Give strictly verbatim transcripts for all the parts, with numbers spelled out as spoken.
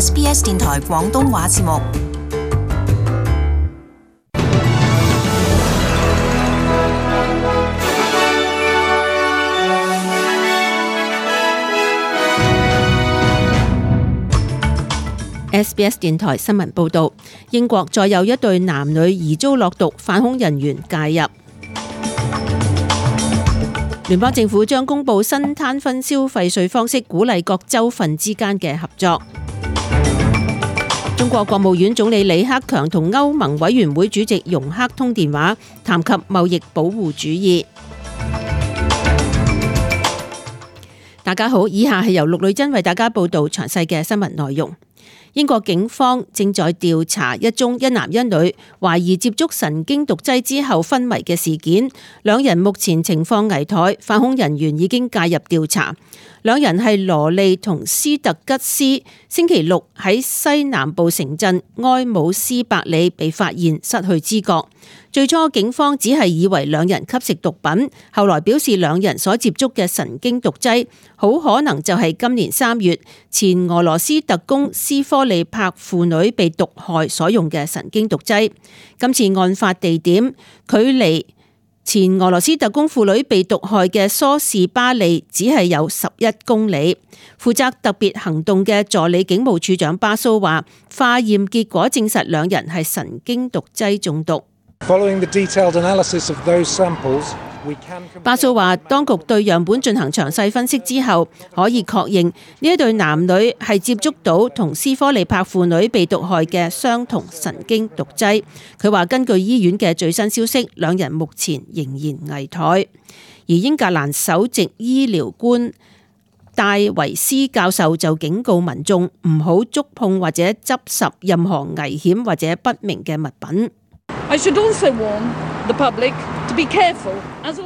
S B S 電台廣東話節目。S B S 電台新聞報道，英國再有一對男女疑遭落毒，反恐人員介入。聯邦政府將公布新攤分消費稅方式，鼓勵各州份之間嘅合作。中國國務院總理李克強同歐盟委員會主席容克通電話，談及貿易保護主義。大家好，以下係由陸女珍為大家報道詳細嘅新聞內容。英國警方正在調查一宗一男一女懷疑接觸神經毒劑之後昏迷嘅事件，兩人目前情況危殆，反恐人員已經介入調查。兩人係羅利同斯特吉斯，星期六喺西南部城鎮埃姆斯伯里被發現失去知覺。最初警方只係以為兩人吸食毒品，後來表示兩人所接觸嘅神經毒劑好可能就係今年三月前俄羅斯特工斯科利帕父女被毒害所用嘅神經毒劑。今次案發地點距離前俄羅斯特工父女被毒害嘅梳士巴利只係有十一公里。負責特別行動嘅助理警務處長巴蘇話，化驗結果證實兩人係神經毒劑中毒。巴蘇話，當局對樣本進行詳細分析之後，可以確認呢一對男女係接觸到同斯科利帕父女被毒害嘅相同神經毒劑。佢話根據醫院嘅最新消息，兩人目前仍然危殆。而英格蘭首席醫療官戴維斯教授就警告民眾唔好觸碰或者執拾任何危險或者不明嘅物品。I should also warn the public to be careful.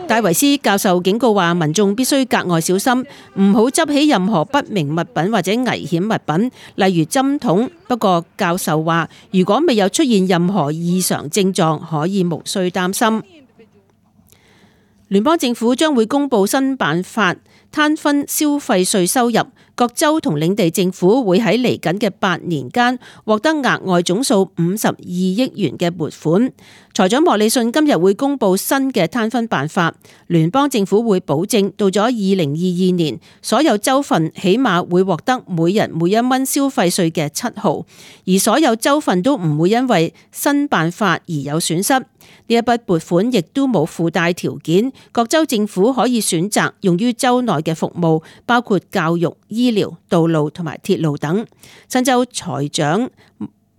戴維斯教授警告話，民眾必須格外小心，唔好執起任何不明物品或者危險物品，例如針筒。不過教授話，如果未有出現任何異常症狀，可以無需擔心。聯邦政府將會公布新辦法，攤分消費稅收入。各州同領地政府會喺嚟緊嘅八年間獲得額外總數五十二億元嘅撥款。財長莫里遜今日會公布新嘅攤分辦法，聯邦政府會保證到咗二零二二年，所有州份起碼會獲得每人每一蚊消費稅嘅七毫，而所有州份都唔會因為新辦法而有損失。呢一筆撥款亦都冇附帶條件，各州政府可以選擇用於州內嘅服務，包括教育、醫療、道路同埋鐵路等。新州財長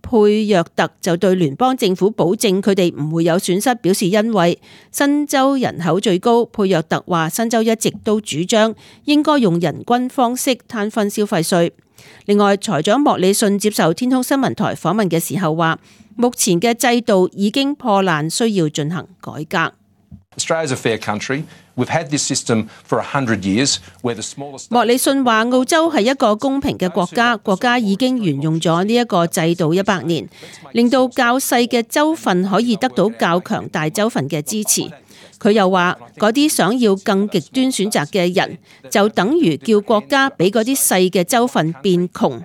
佩約特就對聯邦政府保證佢哋唔會有損失表示欣慰。新州人口最高，佩約特話新州一直都主張應該用人均方式攤分消費稅。另外，財長莫里遜接受天空新聞台訪問嘅時候話，目前嘅制度已經破爛，需要進行改革。莫里遜話，澳洲係一個公平嘅國家，國家已經沿用咗呢一個制度一百年，令到較細嘅州份可以得到較強大州份嘅支持。佢又話，嗰啲想要更極端選擇嘅人，就等於叫國家俾嗰啲細嘅州份變窮，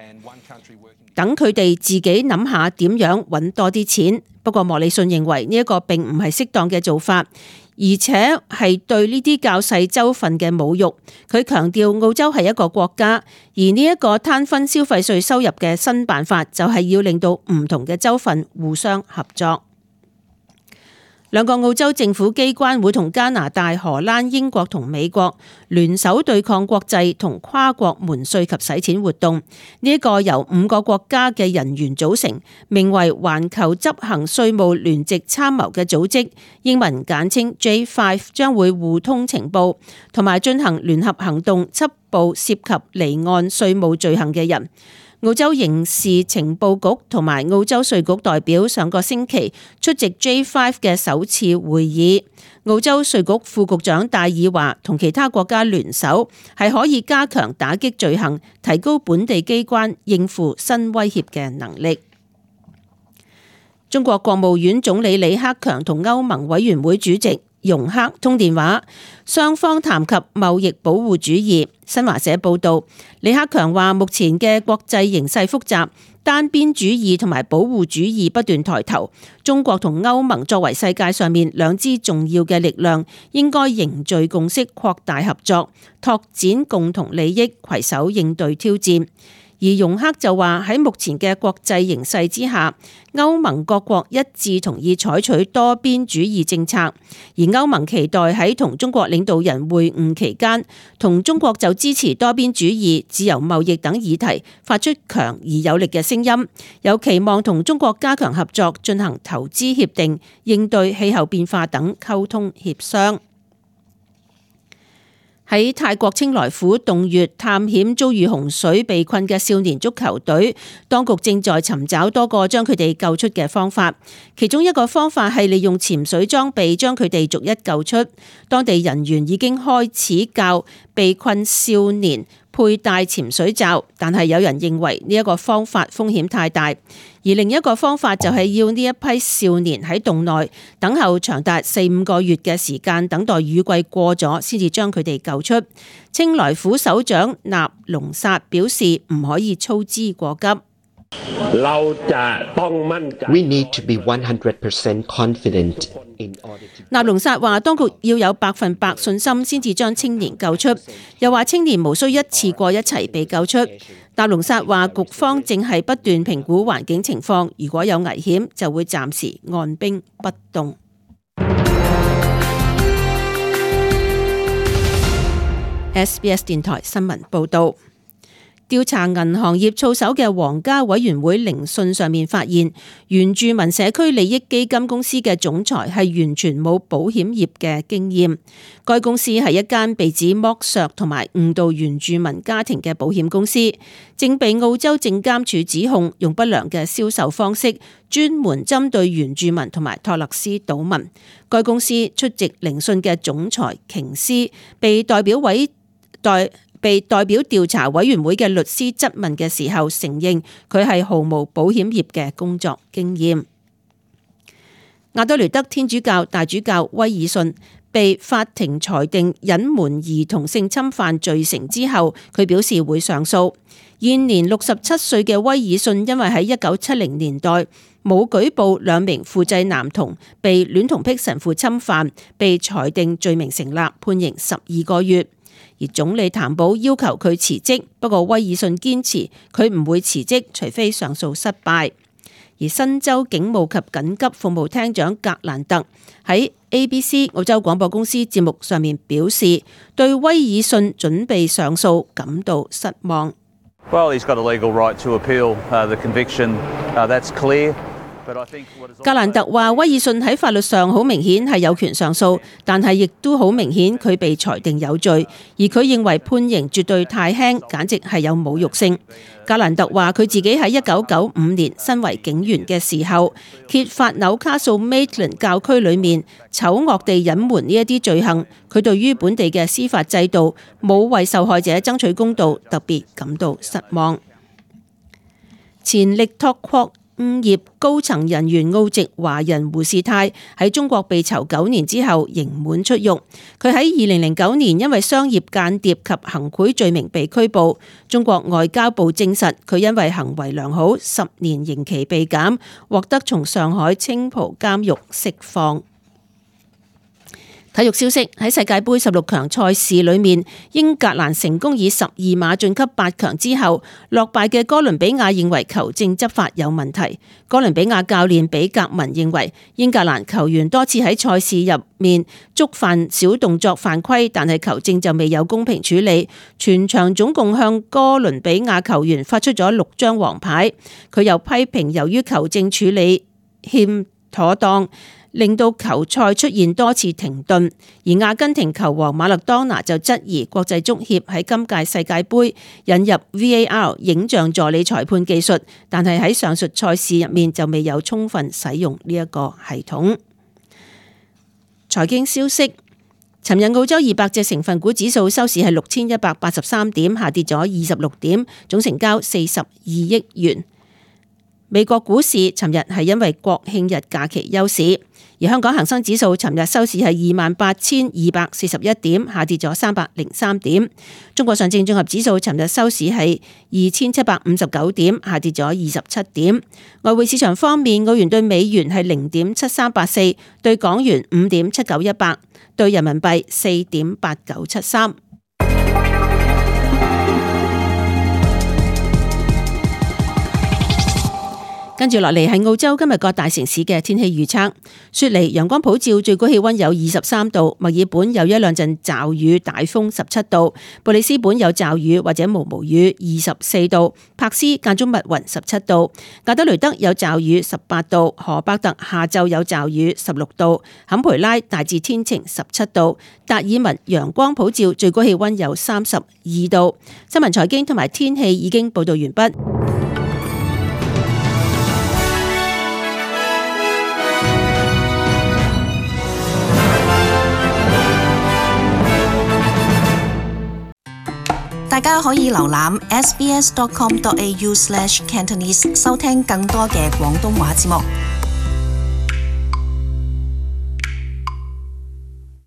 等佢哋自己諗下點樣揾多啲錢。不過莫里遜認為呢一個並唔係適當嘅做法，而且係對呢啲較細州份嘅侮辱。佢強調澳洲係一個國家，而呢一個攤分消費稅收入嘅新辦法就係要令到唔同嘅州份互相合作。兩個澳洲政府機關會同加拿大、荷蘭、英國同美國聯手對抗國際同跨國瞞稅及洗錢活動。呢一個由五個國家嘅人員組成，名為環球執行稅務聯席參謀嘅組織，英文簡稱 J 五，將會互通情報，同埋進行聯合行動，緝捕涉及離岸稅務罪行嘅人。澳洲刑事情報局同埋澳洲稅局代表上個星期出席 J 五 嘅首次會議。澳洲稅局副局長戴爾話，同其他國家聯手係可以加強打擊罪行，提高本地機關應付新威脅嘅能力。中國國務院總理李克強同歐盟委員會主席容克通電話，雙方談及貿易保護主義。新華社報道，李克強話目前嘅國際形勢複雜，單邊主義同埋保護主義不斷抬頭，中國同歐盟作為世界上面兩支重要嘅力量，應該凝聚共識，擴大合作，拓展共同利益，攜手應對挑戰。而容克就話喺目前嘅國際形勢之下，歐盟各國一致同意採取多邊主義政策，而歐盟期待喺同中國領導人會晤期間，同中國就支持多邊主義、自由貿易等議題發出強而有力嘅聲音，有期望同中國加強合作，進行投資協定、應對氣候變化等溝通協商。喺泰國清萊府洞穴探險遭遇洪水被困嘅少年足球隊，當局正在尋找多個將佢哋救出嘅方法。其中一個方法係利用潛水裝備將佢哋逐一救出。當地人員已經開始教被困少年佩戴潛水罩，但係有人認為呢一個方法風險太大。而另一個方法就係要呢一批少年喺洞內等候長達四五個月嘅時間，等待雨季過咗先至將佢哋救出。清萊府首長納隆薩表示唔可以操之過急。We need to be one hundred percent confident in order to... 納隆薩話當局要有百分百信心先至將青年救出，又話青年無需一次過一齊被救出。納隆薩話局方正係不斷評估環境情況，如果有危險就會暫時按兵不動。S B S 電台新聞報道。調查銀行業操守嘅皇家委員會聆訊上面發現，原住民社區利益基金公司嘅總裁係完全冇保險業嘅經驗。該公司係一間被指剝削同埋誤導原住民家庭嘅保險公司，正被澳洲證監處指控用不良嘅銷售方式，專門針對原住民同埋托勒斯島民。該公司出席聆訊嘅總裁瓊斯被代表委代。被代表調查委員會嘅律師質問嘅時候，承認佢係毫無保險業嘅工作經驗。亞多雷德天主教大主教威爾遜被法庭裁定隱瞞兒童性侵犯罪成之後，佢表示會上訴。現年六十七歲嘅威爾遜因為喺一九七零年代冇舉報兩名副祭男童被戀童癖神父侵犯，被裁定罪名成立，判刑十二個月。而總理譚寶要求佢辭職，不過威爾遜堅持佢唔會辭職，除非上訴失敗。而新州警務及緊急服務廳長格蘭特喺 A B C 澳洲廣播公司節目上面表示，對威爾遜準備上訴感到失望。Well, he's got a legal right to appeal the conviction. That's clear. 格蘭特話，威爾遜喺法律上好明顯係有權上訴，但係亦都好明顯佢被裁定有罪，而佢認為判刑絕對太輕，簡直係有侮辱性。格蘭特話，佢自己喺一九九五年身為警員嘅時候，揭發紐卡素 Maitland 教區裏面醜惡地隱瞞呢一啲罪行，佢對於本地嘅司法制度冇為受害者爭取公道，特別感到失望。前力拓礦業高層人員澳籍華人胡士泰喺中國被囚九年之後刑滿出獄。佢喺二零零九年因為商業間諜及行賄罪名被拘捕。中國外交部證實佢因為行為良好，十年刑期被減，獲得從上海青浦監獄釋放。體育消息，喺世界盃十六強賽事裏面，英格蘭成功以十二碼晉級八強之後，落敗嘅哥倫比亞認為球證執法有問題。哥倫比亞教練比格文認為英格蘭球員多次喺賽事入面觸犯小動作犯規，但係球證就未有公平處理，全場總共向哥倫比亞球員發出咗六張黃牌。佢又批評由於球證處理欠妥當，令到球賽出現多次停頓，而阿根廷球王馬勒當拿就質疑國際足協喺今屆世界盃引入 V A R 影像助理裁判技術，但係喺上述賽事入面就未有充分使用呢一個系統。財經消息，尋日澳洲二百隻成分股指數收市係六千一百八十三點，下跌咗二十六點，總成交四十二億元。美國股市尋日係因為國慶日假期休市，而香港恒生指數尋日收市係二萬八千二百四十一點，下跌咗三百零三點。中國上證綜合指數尋日收市係二千七百五十九點，下跌咗二十七點。外匯市場方面，澳元對美元係零點七三八四，對港元五點七九一八，對人民幣四點八九七三。跟住落嚟係澳洲今日各大城市嘅天氣預測。雪梨陽光普照，最高氣溫有二十三度；墨爾本有一兩陣驟雨，大風十七度；布里斯本有驟雨或者毛毛雨，二十四度；柏斯間中密雲，十七度；格德雷德有驟雨，十八度；荷伯特下晝有驟雨，十六度；坎培拉大致天晴，十七度；達爾文陽光普照，最高氣溫有三十二度。新聞財經同埋天氣已經報道完畢。大家可以瀏覽 s b s dot com dot a u slash cantonese 收聽更多嘅廣東話節目。